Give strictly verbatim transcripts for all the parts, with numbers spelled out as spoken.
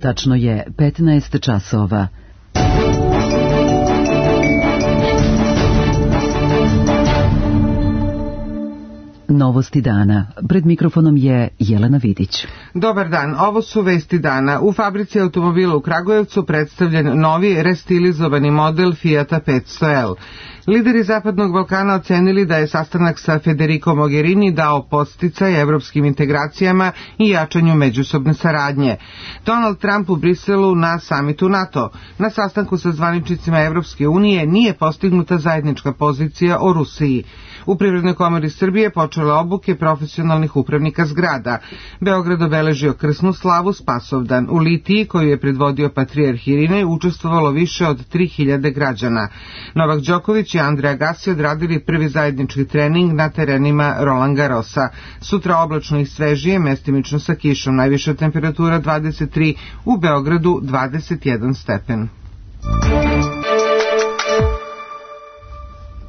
Tačno je petnaest časova. Novosti dana. Pred mikrofonom je Jelena Vidić. Dobar dan, ovo su vesti dana. U fabrici automobila u Kragujevcu predstavljen novi restilizovani model Fijata petsto L. Lideri Zapadnog Balkana ocenili da je sastanak sa Federico Mogherini dao podsticaj evropskim integracijama i jačanju međusobne saradnje. Donald Trump u Briselu na samitu NATO. Na sastanku sa zvaničnicima Evropske unije nije postignuta zajednička pozicija o Rusiji. U Privrednoj komori Srbije počele obuke profesionalnih upravnika zgrada. Beograd obeležio krsnu slavu Spasovdan. U litiji, koju je predvodio patrijarh Irinej, učestvovalo više od tri hiljade građana. Novak Đoković i Andrej Agassi odradili prvi zajednički trening na terenima Roland Garrosa. Sutra oblačno i svežije, mestimično sa kišom. Najviša temperatura dvadeset tri, u Beogradu dvadeset jedan stepen.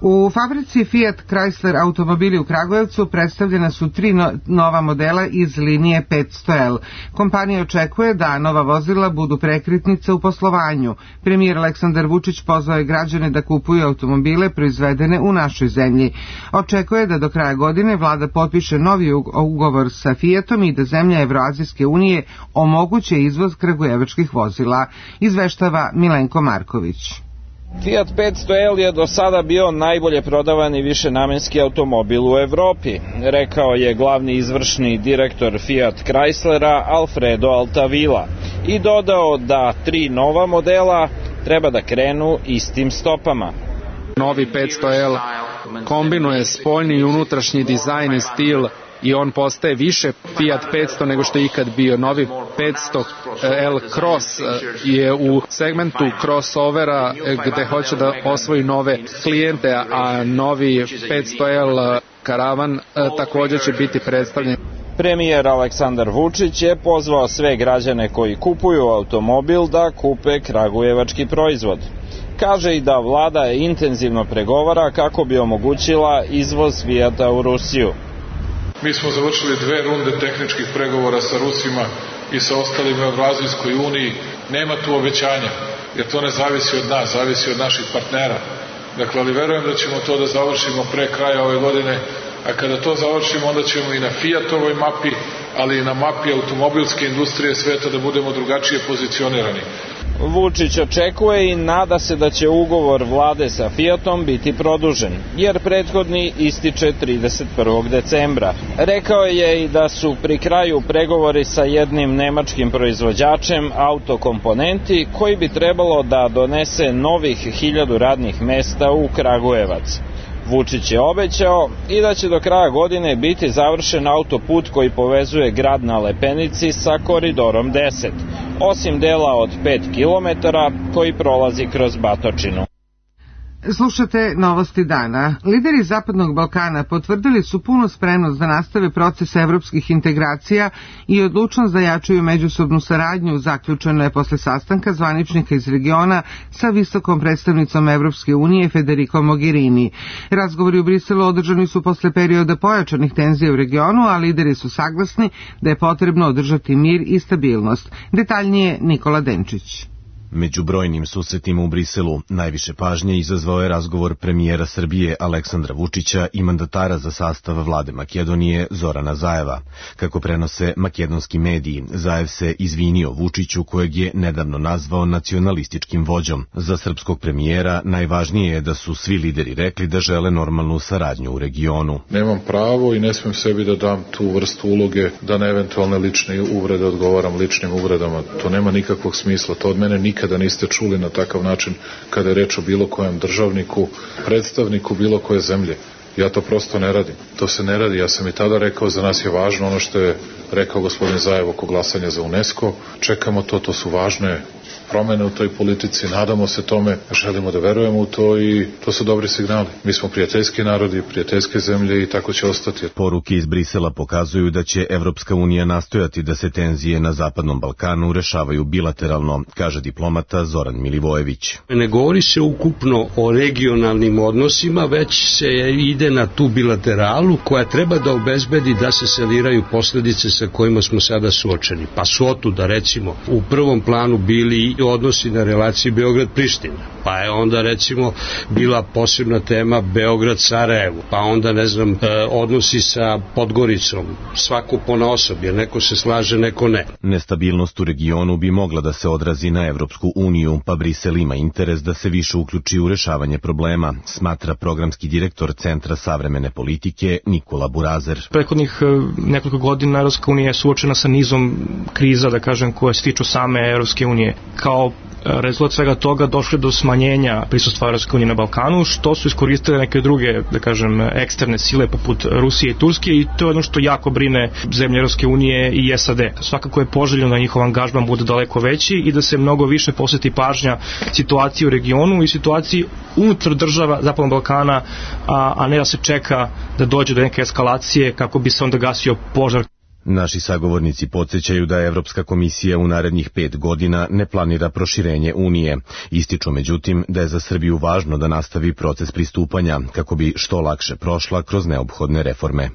U fabrici Fiat Chrysler automobili u Kragujevcu predstavljena su tri no, nova modela iz linije petsto L. Kompanija očekuje da nova vozila budu prekretnica u poslovanju. Premijer Aleksandar Vučić pozvao je građane da kupuju automobile proizvedene u našoj zemlji. Očekuje da do kraja godine vlada potpiše novi ugovor sa Fiatom i da zemlja Evroazijske unije omoguće izvoz kragujevačkih vozila, izveštava Milenko Marković. Fiat petsto L je do sada bio najbolje prodavani višenamenski automobil u Evropi, rekao je glavni izvršni direktor Fiat Chryslera Alfredo Altavilla i dodao da tri nova modela treba da krenu istim stopama. Novi petsto L kombinuje spoljni i unutrašnji dizajn i stil i on postaje više Fiat petsto nego što je ikad bio. Novi petsto L Cross je u segmentu crossovera gde hoće da osvoji nove klijente, a novi petsto L Karavan također će biti predstavljen. Premijer Aleksandar Vučić je pozvao sve građane koji kupuju automobil da kupe kragujevački proizvod. Kaže i da vlada intenzivno pregovara kako bi omogućila izvoz Fijata u Rusiju. Mi smo završili dve runde tehničkih pregovora sa Rusima i sa ostalim u Evroazijskoj uniji. Nema tu obećanja, jer to ne zavisi od nas, zavisi od naših partnera. Dakle, ali verujem da ćemo to da završimo pre kraja ove godine, a kada to završimo, onda ćemo i na Fiatovoj mapi, ali i na mapi automobilske industrije sveta da budemo drugačije pozicionirani. Vučić očekuje i nada se da će ugovor vlade sa Fiatom biti produžen, jer prethodni ističe trideset prvog decembra. Rekao je i da su pri kraju pregovori sa jednim nemačkim proizvođačem autokomponenti koji bi trebalo da donese novih hiljadu radnih mesta u Kragujevac. Vučić je obećao i da će do kraja godine biti završen autoput koji povezuje grad na Lepenici sa koridorom deset, osim dela od pet kilometara koji prolazi kroz Batočinu. Slušate novosti dana. Lideri Zapadnog Balkana potvrdili su punu spremnost da nastave proces evropskih integracija i odlučnost da jačaju međusobnu saradnju, zaključeno je posle sastanka zvaničnika iz regiona sa visokom predstavnicom Evropske unije Federico Mogherini. Razgovori u Briselu održani su posle perioda pojačanih tenzija u regionu, a lideri su saglasni da je potrebno održati mir i stabilnost. Detaljnije Nikola Denčić. Među brojnim susretima u Briselu najviše pažnje izazvao je razgovor premijera Srbije Aleksandra Vučića i mandatara za sastav vlade Makedonije Zorana Zajeva. Kako prenose makedonski mediji, Zajev se izvinio Vučiću, kojeg je nedavno nazvao nacionalističkim vođom. Za srpskog premijera najvažnije je da su svi lideri rekli da žele normalnu saradnju u regionu. Nemam pravo i ne smem sebi da dam tu vrstu uloge da na eventualne lične uvrede odgovaram ličnim uvredama. To nema nikakvog smisla, to od mene nikad kada niste čuli na takav način kada je reč o bilo kojem državniku, predstavniku bilo koje zemlje. Ja to prosto ne radim. To se ne radi. Ja sam i tada rekao, za nas je važno ono što je rekao gospodin Zajev oko glasanja za UNESCO. Čekamo to, to su važne promene u toj politici, nadamo se tome, želimo da verujemo u to i to su dobri signali. Mi smo prijateljski narodi, prijateljske zemlje i tako će ostati. Poruke iz Brisela pokazuju da će Evropska unija nastojati da se tenzije na Zapadnom Balkanu rešavaju bilateralno, kaže diplomata Zoran Milivojević. Ne govori se ukupno o regionalnim odnosima, već se ide na tu bilateralu koja treba da obezbedi da se saniraju posledice sa kojima smo sada suočeni. Pa su otuda recimo u prvom planu bili i odnosi na relaciji Beograd-Priština, pa je onda recimo bila posebna tema Beograd-Sarajevo, pa onda ne znam odnosi sa Podgoricom, svako ponaosob, jer neko se slaže, neko ne. Nestabilnost u regionu bi mogla da se odrazi na Evropsku uniju, pa Brisel ima interes da se više uključi u rešavanje problema, smatra programski direktor Centra savremene politike Nikola Burazer. Prethodnih nekoliko godina Evropska unija je suočena sa nizom kriza, da kažem, koje se tiču same Evropske unije. Kao rezultat svega toga došlo do smanjenja prisustva Evropske unije na Balkanu, što su iskoristile neke druge, da kažem, eksterne sile poput Rusije i Turske, i to je ono što jako brine zemlje Evropske unije i S A D. Svakako je poželjno da njihov angažman bude daleko veći i da se mnogo više posveti pažnja situaciji u regionu i situaciji unutar država Zapadnog Balkana, a, a ne da se čeka da dođe do neke eskalacije kako bi se onda gasio požar. Naši sagovornici podsjećaju da Evropska komisija u narednih pet godina ne planira proširenje Unije. Ističu međutim da je za Srbiju važno da nastavi proces pristupanja kako bi što lakše prošla kroz neophodne reforme.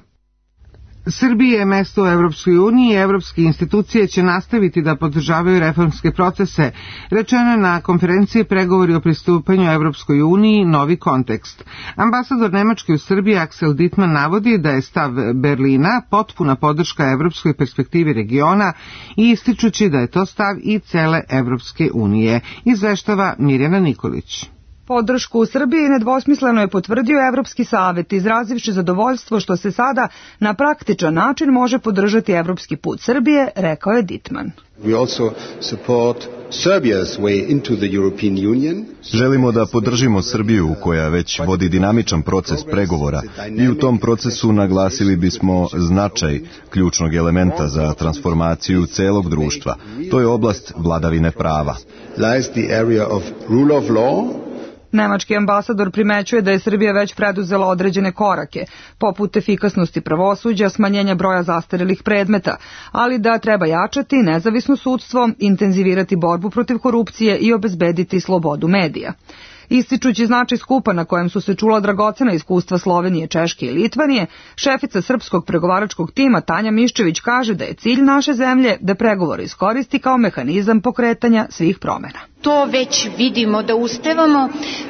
Srbije je mesto u Evropskoj uniji i evropske institucije će nastaviti da podržavaju reformske procese, rečeno je na konferenciji Pregovori o pristupanju Evropskoj uniji novi kontekst. Ambasador Nemačke u Srbiji Axel Dittmann navodi da je stav Berlina potpuna podrška evropskoj perspektivi regiona i ističući da je to stav i cele Evropske unije, izveštava Mirjana Nikolić. Podršku u Srbiji nedvosmisleno je potvrdio Evropski savet, izrazivši zadovoljstvo što se sada na praktičan način može podržati evropski put Srbije, rekao je Dittmann. Želimo da podržimo Srbiju koja već vodi dinamičan proces pregovora i u tom procesu naglasili bismo značaj ključnog elementa za transformaciju celog društva. To je oblast vladavine prava. Nemački ambasador primećuje da je Srbija već preduzela određene korake, poput efikasnosti pravosuđa, smanjenja broja zastarelih predmeta, ali da treba jačati nezavisno sudstvo, intenzivirati borbu protiv korupcije i obezbediti slobodu medija. Ističući značaj skupa na kojem su se čula dragocena iskustva Slovenije, Češke i Litvanije, šefica srpskog pregovaračkog tima Tanja Miščević kaže da je cilj naše zemlje da pregovore iskoristi kao mehanizam pokretanja svih promena. To već vidimo da uspevamo,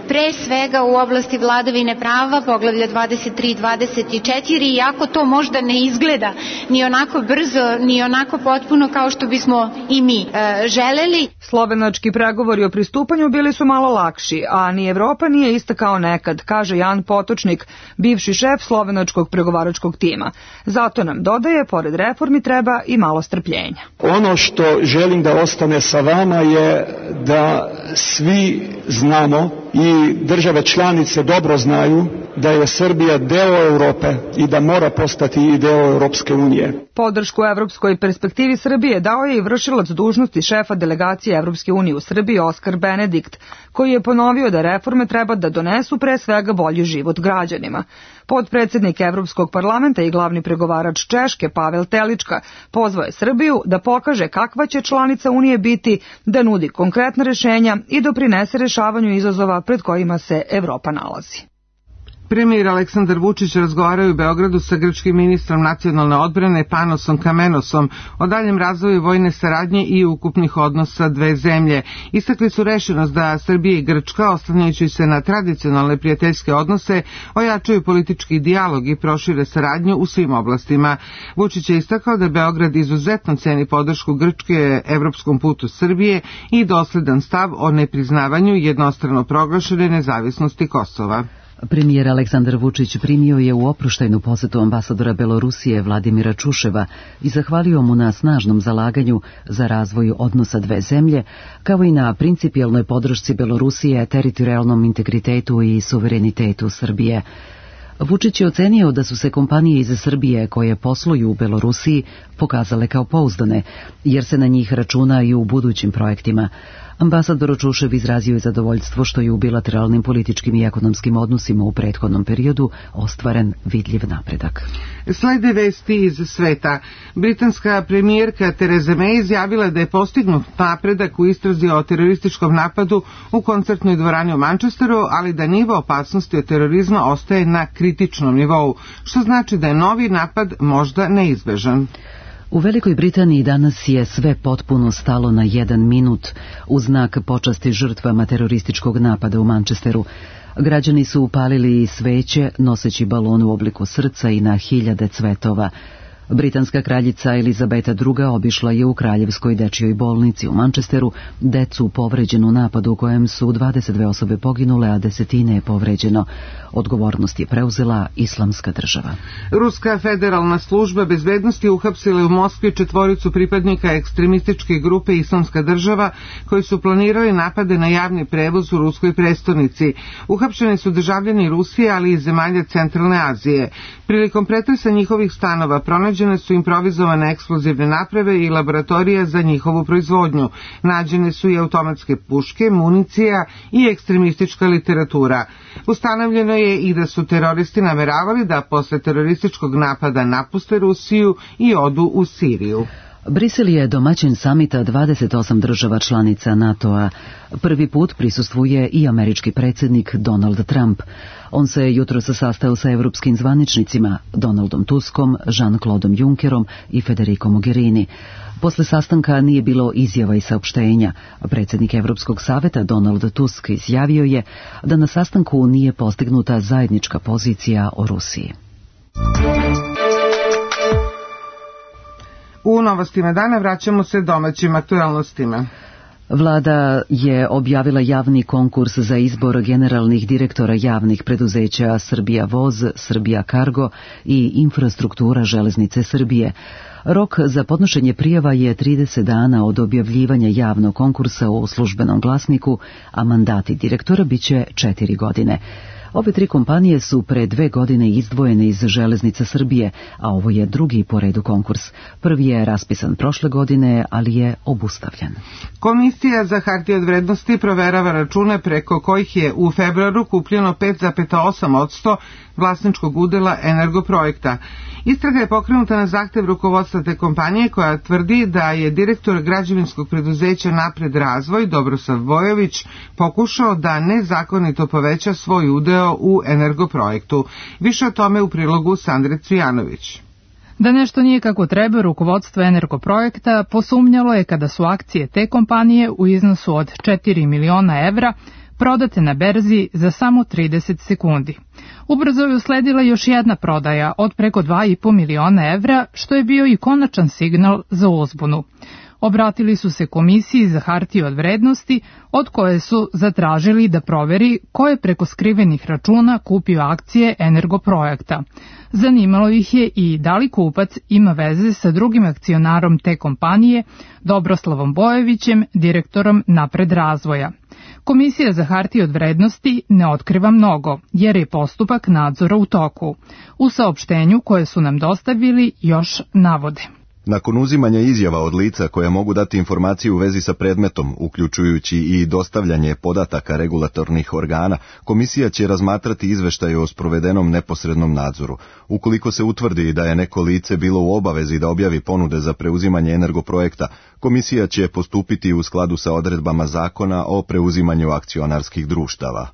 pre svega u oblasti vladavine prava, poglavlja dvadeset tri dvadeset četiri, iako to možda ne izgleda ni onako brzo, ni onako potpuno kao što bismo i mi e, želeli. Slovenački pregovori o pristupanju bili su malo lakši, a ni Evropa nije ista kao nekad, kaže Jan Potočnik, bivši šef slovenačkog pregovaračkog tima. Zato nam dodaje, pored reformi treba i malo strpljenja. Ono što želim da ostane sa vama je da da svi znamo i države članice dobro znaju da je Srbija deo Europe i da mora postati i deo Europske unije. Podršku evropskoj perspektivi Srbije dao je i vršilac dužnosti šefa delegacije Evropske unije u Srbiji Oskar Benedikt, koji je ponovio da reforme treba da donesu pre svega bolji život građanima. Podpredsednik Evropskog parlamenta i glavni pregovarač Češke Pavel Telička pozvao je Srbiju da pokaže kakva će članica Unije biti, da nudi konkretna rešenja i doprinese rešavanju izazova pred kojima se Evropa nalazi. Premijer Aleksandar Vučić razgovarao u Beogradu sa grčkim ministrom nacionalne odbrane Panosom Kamenosom o daljem razvoju vojne saradnje i ukupnih odnosa dve zemlje. Istakli su rešenost da Srbija i Grčka, oslanjajući se na tradicionalne prijateljske odnose, ojačaju politički dijalog i prošire saradnju u svim oblastima. Vučić je istakao da Beograd izuzetno ceni podršku Grčke evropskom putu Srbije i dosledan stav o nepriznavanju jednostrano proglašene nezavisnosti Kosova. Premijer Aleksandar Vučić primio je u oproštajnu posetu ambasadora Belorusije Vladimira Čuševa i zahvalio mu na snažnom zalaganju za razvoj odnosa dve zemlje, kao i na principijelnoj podršci Belorusije teritorijalnom integritetu i suverenitetu Srbije. Vučić je ocenio da su se kompanije iz Srbije koje posluju u Belorusiji pokazale kao pouzdane, jer se na njih računa i u budućim projektima. Ambasador Čušev izrazio je zadovoljstvo što je u bilateralnim političkim i ekonomskim odnosima u prethodnom periodu ostvaren vidljiv napredak. Slede vesti iz sveta. Britanska premijerka Theresa May izjavila da je postignut napredak u istrazi o terorističkom napadu u koncertnoj dvorani u Manchesteru, ali da nivo opasnosti od terorizma ostaje na kritičnom nivou, što znači da je novi napad možda neizbežan. U Velikoj Britaniji danas je sve potpuno stalo na jedan minut u znak počasti žrtvama terorističkog napada u Manchesteru. Građani su upalili sveće noseći balon u obliku srca i na hiljade cvetova. Britanska kraljica Elizabeta druga obišla je u Kraljevskoj dečijoj bolnici u Manchesteru decu povređenu u napadu u kojem su dvadeset dve osobe poginule, a desetine je povređeno. Odgovornost je preuzela Islamska država. Ruska federalna služba bezbednosti uhapsila u Moskvi četvoricu pripadnika ekstremističke grupe Islamska država koji su planirali napade na javni prevoz u ruskoj prestonici. Uhapšeni su državljani Rusije, ali i zemalja Centralne Azije. Prilikom pretresa njihovih stanova pronađene su improvizovane eksplozivne naprave i laboratorija za njihovu proizvodnju. Nađene su i automatske puške, municija i ekstremistička literatura. Ustanovljeno je i da su teroristi nameravali da posle terorističkog napada napuste Rusiju i odu u Siriju. Brisel je domaćin samita dvadeset osam država članica NATO-a. Prvi put prisustvuje i američki predsjednik Donald Trump. On se jutros sastao sa evropskim zvaničnicima Donaldom Tuskom, Jean-Claudeom Junckerom i Federico Mogherini. Posle sastanka nije bilo izjava i saopštenja. Predsjednik Evropskog saveta Donald Tusk izjavio je da na sastanku nije postignuta zajednička pozicija o Rusiji. U novostima dana vraćamo se domaćim aktualnostima. Vlada je objavila javni konkurs za izbor generalnih direktora javnih preduzeća Srbija Voz, Srbija Kargo i Infrastruktura železnice Srbije. Rok za podnošenje prijava je trideset dana od objavljivanja javnog konkursa u službenom glasniku, a mandati direktora biće četiri godine. Ove tri kompanije su pre dve godine izdvojene iz Železnica Srbije, a ovo je drugi po redu konkurs. Prvi je raspisan prošle godine, ali je obustavljen. Komisija za hartije od vrednosti proverava račune preko kojih je u februaru kupljeno pet zarez osam posto vlasničkog udela Energoprojekta. Istraga je pokrenuta na zahtev rukovodstva te kompanije koja tvrdi da je direktor građevinskog preduzeća Napred razvoj Dobrosav Bojović pokušao da nezakonito poveća svoj udeo u Energoprojektu. Više o tome u prilogu Sandre Cvijanović. Da nešto nije kako treba, rukovodstvo Energoprojekta posumnjalo je kada su akcije te kompanije u iznosu od četiri miliona evra prodate na berzi za samo trideset sekundi. Ubrzo je usledila još jedna prodaja od preko dva i po miliona evra, što je bio i konačan signal za uzbunu. Obratili su se Komisiji za hartije od vrednosti, od koje su zatražili da proveri ko je preko skrivenih računa kupio akcije Energoprojekta. Zanimalo ih je i da li kupac ima veze sa drugim akcionarom te kompanije, Dobroslavom Bojevićem, direktorom Napred razvoja. Komisija za hartije od vrednosti ne otkriva mnogo, jer je postupak nadzora u toku. U saopštenju koje su nam dostavili još navode. Nakon uzimanja izjava od lica koja mogu dati informaciju u vezi sa predmetom, uključujući i dostavljanje podataka regulatornih organa, komisija će razmatrati izveštaje o sprovedenom neposrednom nadzoru. Ukoliko se utvrdi da je neko lice bilo u obavezi da objavi ponude za preuzimanje Energoprojekta, komisija će postupiti u skladu sa odredbama zakona o preuzimanju akcionarskih društava.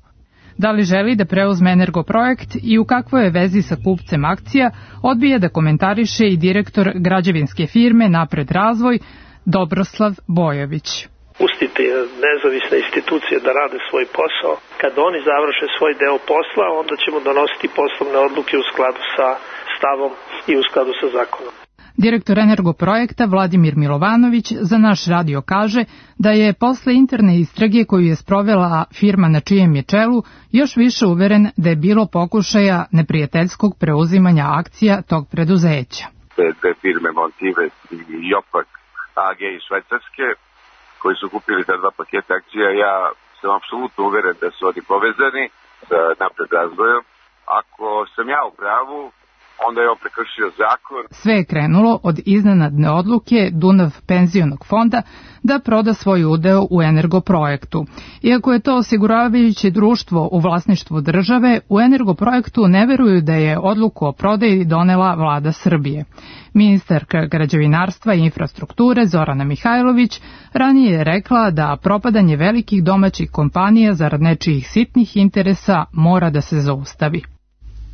Da li želi da preuzme Energoprojekt i u kakvoj je vezi sa kupcem akcija, odbija da komentariše i direktor građevinske firme Napred razvoj Dobroslav Bojović. Pustite nezavisne institucije da rade svoj posao. Kad oni završe svoj deo posla, onda ćemo donositi poslovne odluke u skladu sa stavom i u skladu sa zakonom. Direktor Energoprojekta Vladimir Milovanović za naš radio kaže da je posle interne istrage koju je sprovela firma na čijem je čelu još više uveren da je bilo pokušaja neprijateljskog preuzimanja akcija tog preduzeća. Te firme Montives i Jopak A G iz Švajcarske koji su kupili ta dva paketa akcija, ja sam apsolutno uveren da su oni povezani sa Napred razvojom Ako sam ja u pravu, onda je on prekršio zakon. Sve je krenulo od iznenadne odluke Dunav penzionog fonda da proda svoj udeo u Energoprojektu. Iako je to osiguravajuće društvo u vlasništvu države, u Energoprojektu ne veruju da je odluku o prodaji donela vlada Srbije. Ministarka građevinarstva i infrastrukture Zorana Mihajlović ranije je rekla da propadanje velikih domaćih kompanija zarad nečijih sitnih interesa mora da se zaustavi.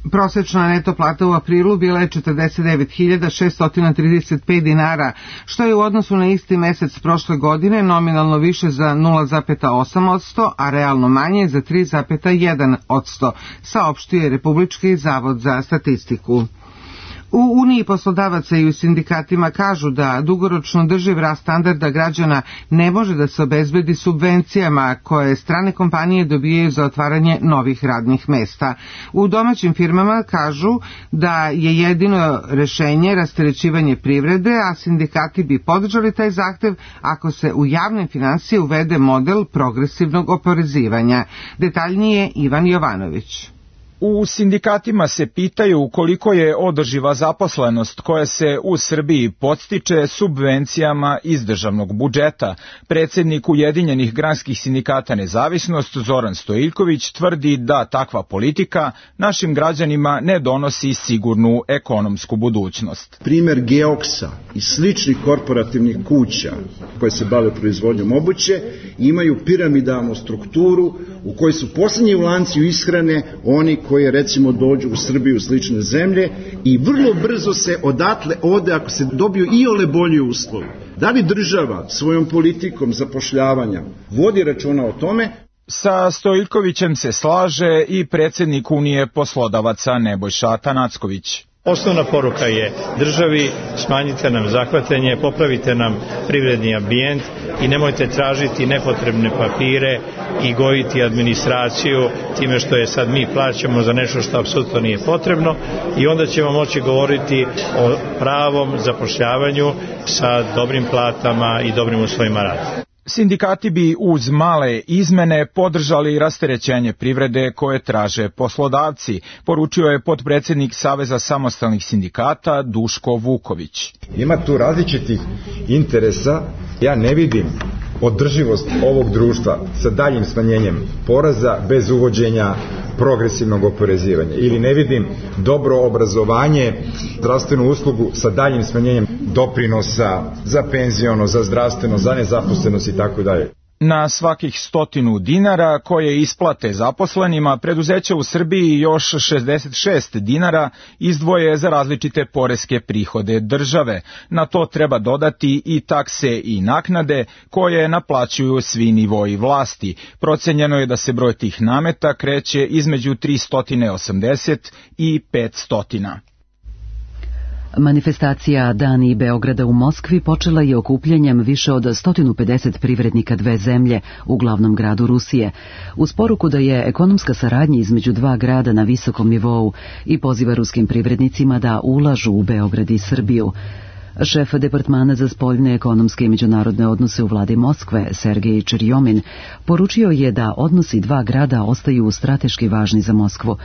Prosečna neto plata u aprilu bila je četrdeset devet hiljada šeststo trideset pet dinara, što je u odnosu na isti mesec prošle godine nominalno više za nula zarez osam posto, a realno manje za tri zarez jedan posto, saopštio je Republički zavod za statistiku. U Uniji poslodavaca i u sindikatima kažu da dugoročno drživ rast standarda građana ne može da se obezbedi subvencijama koje strane kompanije dobijaju za otvaranje novih radnih mesta. U domaćim firmama kažu da je jedino rešenje rasterećivanje privrede, a sindikati bi podržali taj zahtev ako se u javne finansije uvede model progresivnog oporezivanja. Detaljnije Ivan Jovanović. U sindikatima se pitaju koliko je održiva zaposlenost koja se u Srbiji podstiče subvencijama iz državnog budžeta. Predsjednik Ujedinjenih granskih sindikata Nezavisnost Zoran Stojiljković tvrdi da takva politika našim građanima ne donosi sigurnu ekonomsku budućnost. Primer Geoksa i sličnih korporativnih kuća koje se bave proizvodnjom obuće imaju piramidalnu strukturu u kojoj su posljednji u lanci ishrane oni koje recimo dođu u Srbiju u slične zemlje i vrlo brzo se odatle ode ako se dobiju i ole bolji uslovi. Da li država svojom politikom zapošljavanja vodi računa o tome? Sa Stojiljkovićem se slaže i predsjednik Unije poslodavaca Nebojša Atanacković. Osnovna poruka je državi, smanjite nam zahvatanje, popravite nam privredni ambijent i nemojte tražiti nepotrebne papire i gojiti administraciju time što je sad mi plaćamo za nešto što apsolutno nije potrebno i onda ćemo moći govoriti o pravom zapošljavanju sa dobrim platama i dobrim uslovima rada. Sindikati bi uz male izmene podržali rasterećenje privrede koje traže poslodavci, poručio je potpredsjednik Saveza samostalnih sindikata Duško Vuković. Ima tu različitih interesa, ja ne vidim održivost ovog društva sa daljim smanjenjem poreza bez uvođenja progresivnog oporezivanja ili ne vidim dobro obrazovanje, zdravstvenu uslugu sa daljim smanjenjem doprinosa za penziono, za zdravstveno, za nezaposlenost i tako dalje. Na svakih stotinu dinara koje isplate zaposlenima, preduzeća u Srbiji još šezdeset šest dinara izdvoje za različite poreske prihode države. Na to treba dodati i takse i naknade koje naplaćuju svi nivoji vlasti. Procenjeno je da se broj tih nameta kreće između tristo osamdeset i petsto. Manifestacija Dani Beograda u Moskvi počela je okupljanjem više od sto pedeset privrednika dve zemlje u glavnom gradu Rusije, uz poruku da je ekonomska saradnja između dva grada na visokom nivou i poziva ruskim privrednicima da ulažu u Beograd i Srbiju. Šef Departmana za spoljne ekonomske i međunarodne odnose u vladi Moskve, Sergej Čerjomin, poručio je da odnosi dva grada ostaju strateški važni za Moskvu.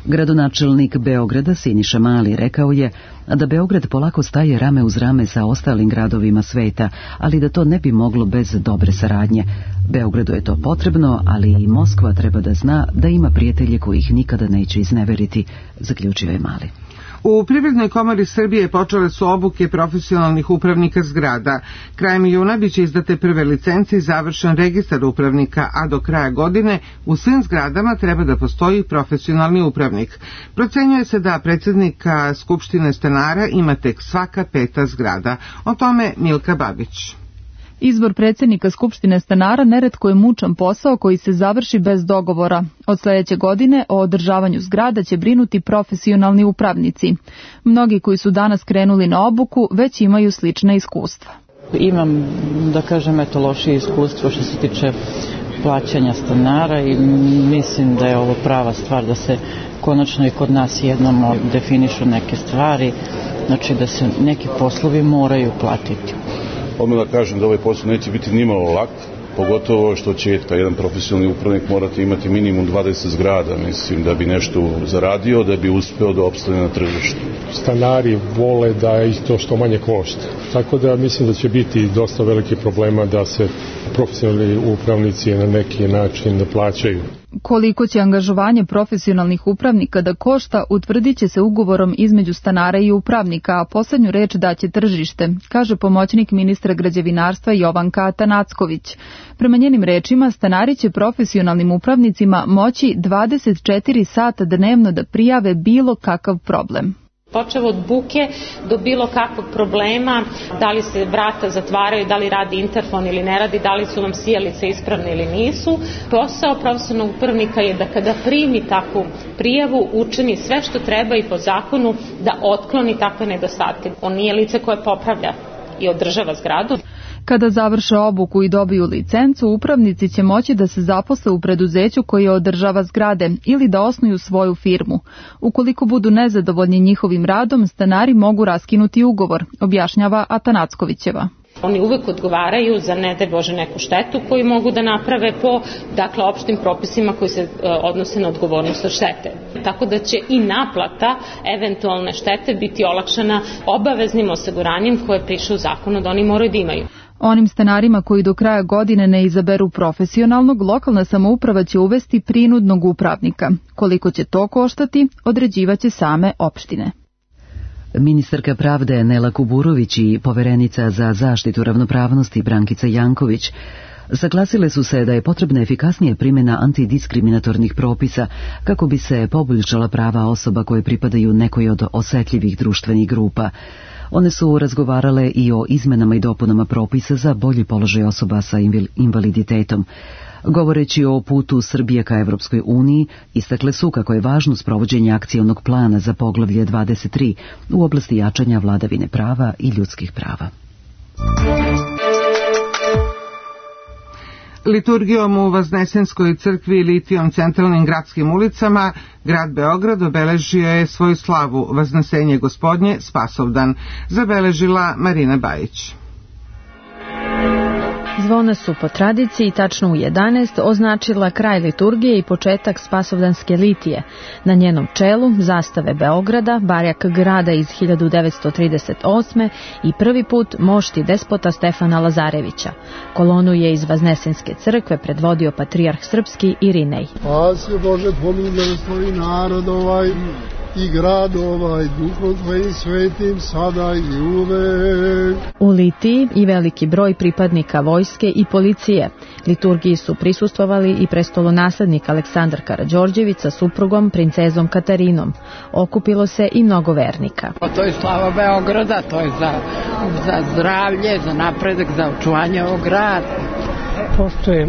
Gradonačelnik Beograda Siniša Mali rekao je da Beograd polako staje rame uz rame sa ostalim gradovima sveta, ali da to ne bi moglo bez dobre saradnje. Beogradu je to potrebno, ali i Moskva treba da zna da ima prijatelje koji ih nikada neće izneveriti, zaključio je Mali. U Privrednoj komori Srbije počele su obuke profesionalnih upravnika zgrada. Krajem juna biće izdate prve licence i završen registar upravnika, a do kraja godine u svim zgradama treba da postoji profesionalni upravnik. Procenjuje se da predsjednika Skupštine stanara ima tek svaka peta zgrada. O tome Milka Babić. Izbor predsjednika Skupštine stanara neretko je mučan posao koji se završi bez dogovora. Od sljedeće godine o održavanju zgrada će brinuti profesionalni upravnici. Mnogi koji su danas krenuli na obuku već imaju slična iskustva. Imam, da kažem, eto lošije iskustvo što se tiče plaćanja stanara i mislim da je ovo prava stvar da se konačno i kod nas jednom definišu neke stvari, znači da se neki poslovi moraju platiti. Odmah da kažem da ovaj posao neće biti nimalo lak, pogotovo što će kao jedan profesionalni upravnik morati imati minimum dvadeset zgrada, mislim, da bi nešto zaradio, da bi uspeo da opstane na tržištu. Stanari vole da isto što manje košta, tako da mislim da će biti dosta veliki problema da se profesionalni upravnici na neki način da plaćaju. Koliko će angažovanje profesionalnih upravnika da košta, utvrdit će se ugovorom između stanara i upravnika, a poslednju reč daće tržište, kaže pomoćnik ministra građevinarstva Jovanka Atanacković. Prema njenim rečima, stanari će profesionalnim upravnicima moći dvadeset četiri sata dnevno da prijave bilo kakav problem. Počevo od buke do bilo kakvog problema, da li se vrata zatvaraju, da li radi interfon ili ne radi, da li su vam sijalice ispravne ili nisu. Posao profesionalnog upravnika je da kada primi takvu prijavu, učini sve što treba i po zakonu da otkloni takve nedostatke. On nije lice koje popravlja i održava zgradu. Kada završe obuku i dobiju licencu, upravnici će moći da se zaposle u preduzeću koje održava zgrade ili da osnuju svoju firmu. Ukoliko budu nezadovoljni njihovim radom, stanari mogu raskinuti ugovor, objašnjava Atanackovićeva. Oni uvek odgovaraju za, ne daj Bože, neku štetu koju mogu da naprave po, dakle, opštim propisima koji se e, odnose na odgovornost od štete. Tako da će i naplata eventualne štete biti olakšana obaveznim osiguranjem koje piše u zakonu da oni moraju da imaju. Onim stanarima koji do kraja godine ne izaberu profesionalnog, lokalna samouprava će uvesti prinudnog upravnika. Koliko će to koštati, određivaće same opštine. Ministarka pravde Nela Kuburović i poverenica za zaštitu ravnopravnosti Brankica Janković saglasile su se da je potrebna efikasnija primjena antidiskriminatornih propisa kako bi se poboljšala prava osoba koje pripadaju nekoj od osetljivih društvenih grupa. One su razgovarale i o izmenama i dopunama propisa za bolji položaj osoba sa invaliditetom. Govoreći o putu Srbije ka Evropskoj uniji, istakle su kako je važno sprovođenje akcionog plana za poglavlje dvadeset tri u oblasti jačanja vladavine prava i ljudskih prava. Liturgijom u Vaznesenskoj crkvi i litijom centralnim gradskim ulicama, grad Beograd obeležio je svoju slavu Vaznesenje Gospodnje Spasovdan, zabeležila Marina Bajić. Zvona su po tradiciji tačno u jedanaest označila kraj liturgije i početak Spasovdanske litije. Na njenom čelu zastave Beograda, barjak grada iz hiljadu devetsto trideset osme i prvi put mošti despota Stefana Lazarevića. Kolonu je iz Vaznesenske crkve predvodio patrijarh srpski Irinej. Spasi Bože, pomiluje svoj narod ovaj i grad ovaj, duhom tvojim svetim, sada i uvek. U litiji i veliki broj pripadnika vojske i policije. Liturgiji su prisustvovali i prestolonaslednik Aleksandar Karađorđević sa suprugom, princezom Katarinom. Okupilo se i mnogo vernika. To je slava Beograda, to je za, za zdravlje, za napredak, za očuvanje ovog grada. Postoje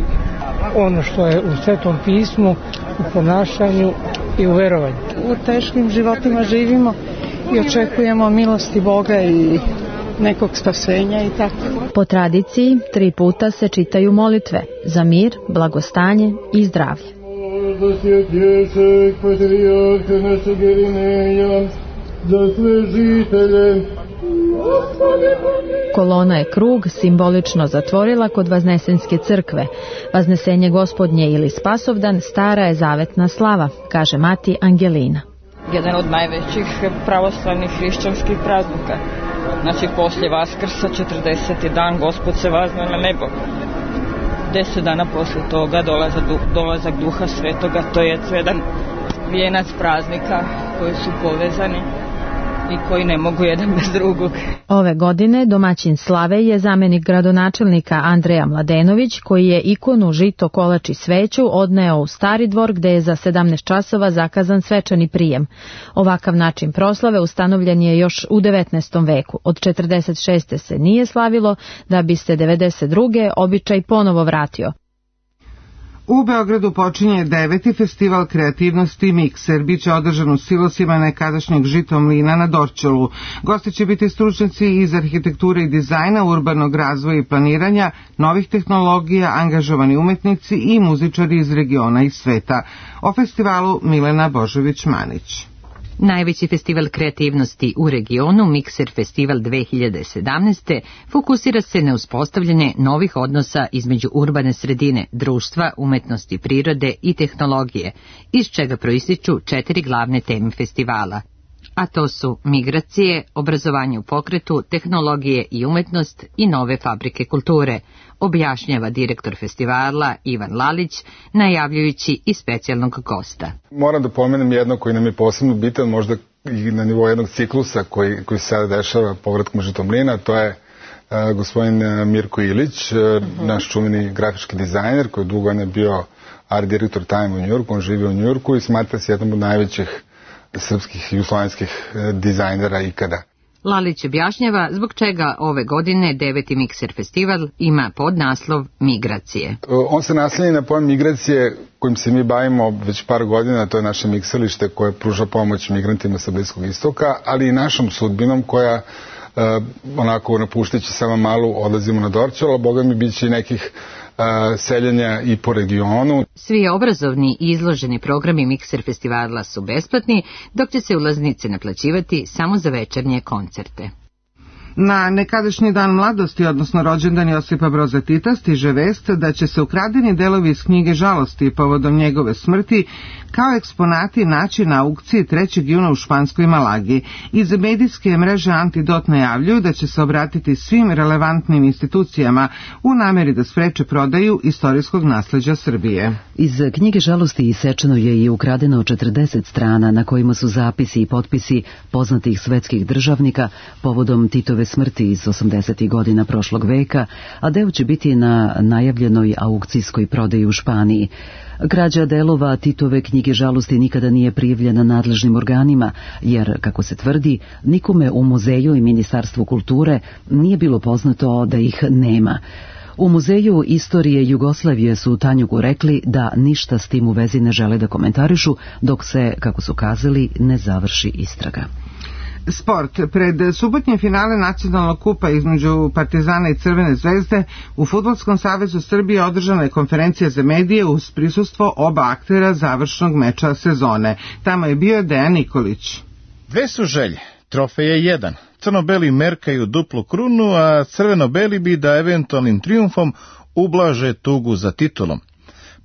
ono što je u Svetom pismu, u ponašanju i u verovanju. U teškim životima živimo i očekujemo milosti Boga i nekog spasenja i tako. Po tradiciji, tri puta se čitaju molitve za mir, blagostanje i zdravlje. Za sve žitelje. Kolona je krug simbolično zatvorila kod Vaznesenske crkve. Vaznesenje Gospodnje ili Spasovdan stara je zavetna slava, kaže mati Angelina. Jedan od najvećih pravoslavnih hrišćanskih praznika. Znači, poslije Vaskrsa, četrdeseti dan, Gospod se vazne na nebo. Deset dana poslije toga dolazak, dolazak Duha Svetoga, to je jedan vijenac praznika koji su povezani i koji ne mogu jedan bez drugog. Ove godine domaćin slave je zamenik gradonačelnika Andreja Mladenović, koji je ikonu žito, kolač i sveću odneo u Stari dvor, gde je za sedamnaest časova zakazan svečani prijem. Ovakav način proslave ustanovljen je još u devetnaestom veku. Od četrdeset šeste se nije slavilo, da bi se devedeset druge običaj ponovo vratio. U Beogradu počinje deveti festival kreativnosti Mikser. Biće održan u silosima nekadašnjeg žitomlina na Dorćolu. Gosti će biti stručnjaci iz arhitekture i dizajna, urbanog razvoja i planiranja, novih tehnologija, angažovani umetnici i muzičari iz regiona i sveta. O festivalu Milena Božović-Manić. Najveći festival kreativnosti u regionu, Mikser Festival dve hiljade sedamnaeste. fokusira se na uspostavljanje novih odnosa između urbane sredine, društva, umetnosti, prirode i tehnologije, iz čega proističu četiri glavne teme festivala. A to su migracije, obrazovanje u pokretu, tehnologije i umetnost i nove fabrike kulture, objašnjava direktor festivala Ivan Lalić, najavljujući i specijalnog gosta. Moram da pomenem jedno koji nam je posebno bitan, možda i na nivou jednog ciklusa koji, koji se sada dešava povratkom Žitomlina, to je uh, gospodin Mirko Ilić, uh, uh-huh. naš čuveni grafički dizajner koji dugo je bio art direktor Time u Njujorku, on živi u Njujorku i smatra se jednom od najvećih srpskih i jugoslovenskih dizajnera ikada. Lalić objašnjava zbog čega ove godine deveti Mikser festival ima podnaslov Migracije. On se naslanja na pojam migracije kojim se mi bavimo već par godina, to je naše miksalište koje pruža pomoć migrantima sa Bliskog istoka, ali i našom sudbinom koja uh, onako napušteći samo malu odlazimo na Dorćol, a boga mi bit će i nekih seljenja i po regionu. Svi obrazovni i izloženi programi Mikser festivala su besplatni, dok će se ulaznice naplaćivati samo za večernje koncerte. Na nekadašnji dan mladosti, odnosno rođendan Josipa Broza Tita, stiže vest da će se ukradeni delovi iz knjige Žalosti povodom njegove smrti kao eksponati naći na aukciji trećeg juna u španskoj Malagi. Iz medijske mreže Antidot najavljuju da će se obratiti svim relevantnim institucijama u nameri da spreče prodaju istorijskog nasleđa Srbije. Iz knjige Žalosti isečeno je i ukradeno četrdeset strana na kojima su zapisi i potpisi poznatih svetskih državnika povodom Titove smrti iz osamdesetih godina prošlog veka, a deo će biti na najavljenoj aukcijskoj prodaji u Španiji. Krađa delova Titove knjige Žalosti nikada nije prijavljena nadležnim organima, jer, kako se tvrdi, nikome u muzeju i Ministarstvu kulture nije bilo poznato da ih nema. U Muzeju istorije Jugoslavije su Tanjugu rekli da ništa s tim u vezi ne žele da komentarišu, dok se, kako su kazali, ne završi istraga. Sport. Pred subotnje finale nacionalnog kupa između Partizana i Crvene zvezde u Fudbalskom savezu Srbije održana je konferencija za medije uz prisustvo oba aktera završnog meča sezone. Tamo je bio Dejan Nikolić. Dve su želje. Trofej je jedan. Crno-beli merkaju duplu krunu, a crveno-beli bi da eventualnim trijumfom ublaže tugu za titulom.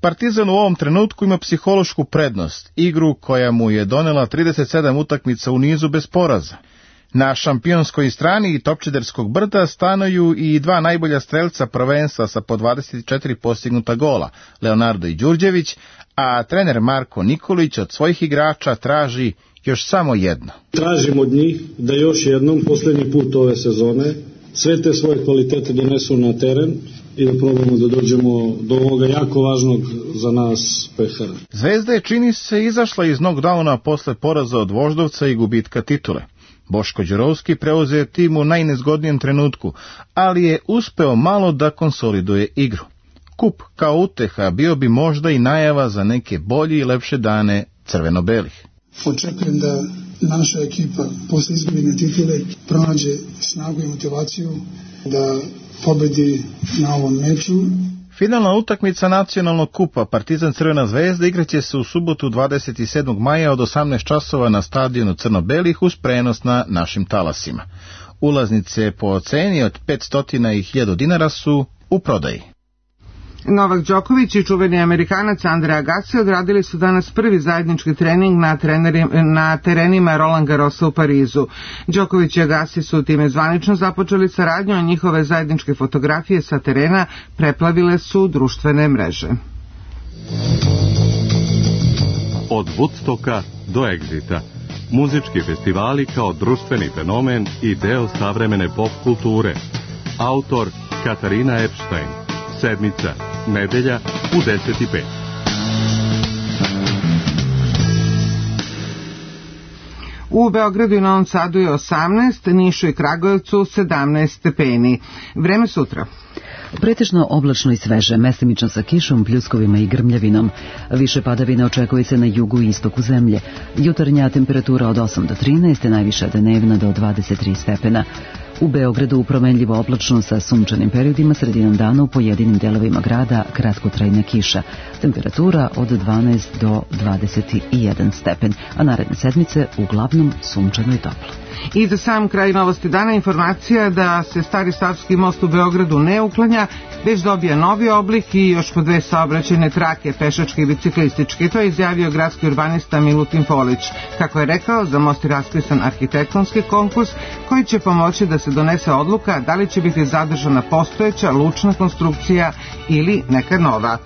Partizan u ovom trenutku ima psihološku prednost, igru koja mu je donela trideset sedam utakmica u nizu bez poraza. Na šampionskoj strani Topčiderskog brda stanuju i dva najbolja strelca prvenstva sa po dvadeset četiri postignuta gola, Leonardo i Đurđević, a trener Marko Nikolić od svojih igrača traži još samo jedno. Tražim od njih da još jednom, posljednji put ove sezone, sve te svoje kvalitete donesu na teren i da probamo da dođemo do ovoga jako važnog za nas pehara. Zvezda je, čini se, izašla iz knockdowna posle poraza od Voždovca i gubitka titule. Boško Đurovski preuzeo tim u najnezgodnijem trenutku, ali je uspeo malo da konsoliduje igru. Kup kao uteha bio bi možda i najava za neke bolje i lepše dane crveno-belih. Očekujem da naša ekipa posle izgubljene titule pronađe snagu i motivaciju da pobedi na ovom meču. Finalna utakmica nacionalnog kupa Partizan Crvena zvezda igraće se u subotu dvadeset sedmog maja od osamnaest časova na stadionu Crno-belih uz prenos na našim talasima. Ulaznice po ceni od petsto i hiljadu dinara su u prodaji. Novak Đoković i čuveni Amerikanac Andre Agassi odradili su danas prvi zajednički trening na, na terenima Roland Garrosa u Parizu. Đoković i Agassi su time zvanično započeli saradnju, a njihove zajedničke fotografije sa terena preplavile su društvene mreže. Od Woodstocka do Exita. Muzički festivali kao društveni fenomen i deo savremene pop kulture. Autor Katarina Epstein. Sedmica, nedelja u deset i pet. U Beogradu i Novom Sadu je osamnaest, Nišu i Kragujevcu sedamnaest stepeni. Vreme sutra. Pretežno oblačno i sveže, mestimično sa kišom, pljuskovima i grmljavinom. Više padavina očekuje se na jugu i istoku zemlje. Jutarnja temperatura od osam do trinaest, najviša dnevna do dvadeset tri stepena. U Beogradu promenljivo oblačno sa sunčanim periodima, sredinom dana u pojedinim delovima grada kratkotrajna kiša. temperatura od dvanaest do dvadeset jedan stepen, a naredne sedmice uglavnom sunčano i toplo. I za sam kraj novosti dana informacija da se Stari Savski most u Beogradu ne uklanja, već dobija novi oblik i još po dve saobraćajne trake, pešačke i biciklističke. To je izjavio gradski urbanista Milutin Folić. Kako je rekao, za most je raspisan arhitektonski konkurs koji će pomoći da se donese odluka da li će biti zadržana postojeća lučna konstrukcija ili neka nova.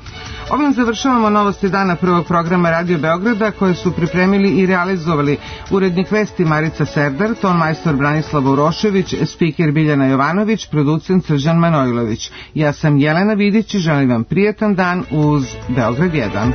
Ovim završavamo novosti dana prvog programa Radio Beograda koje su pripremili i realizovali urednik vesti Marica Serdar, ton majstor Branislav Urošević, spiker Biljana Jovanović, producent Srđan Manojlović. Ja sam Jelena Vidić i želim vam prijetan dan uz Beograd jedan.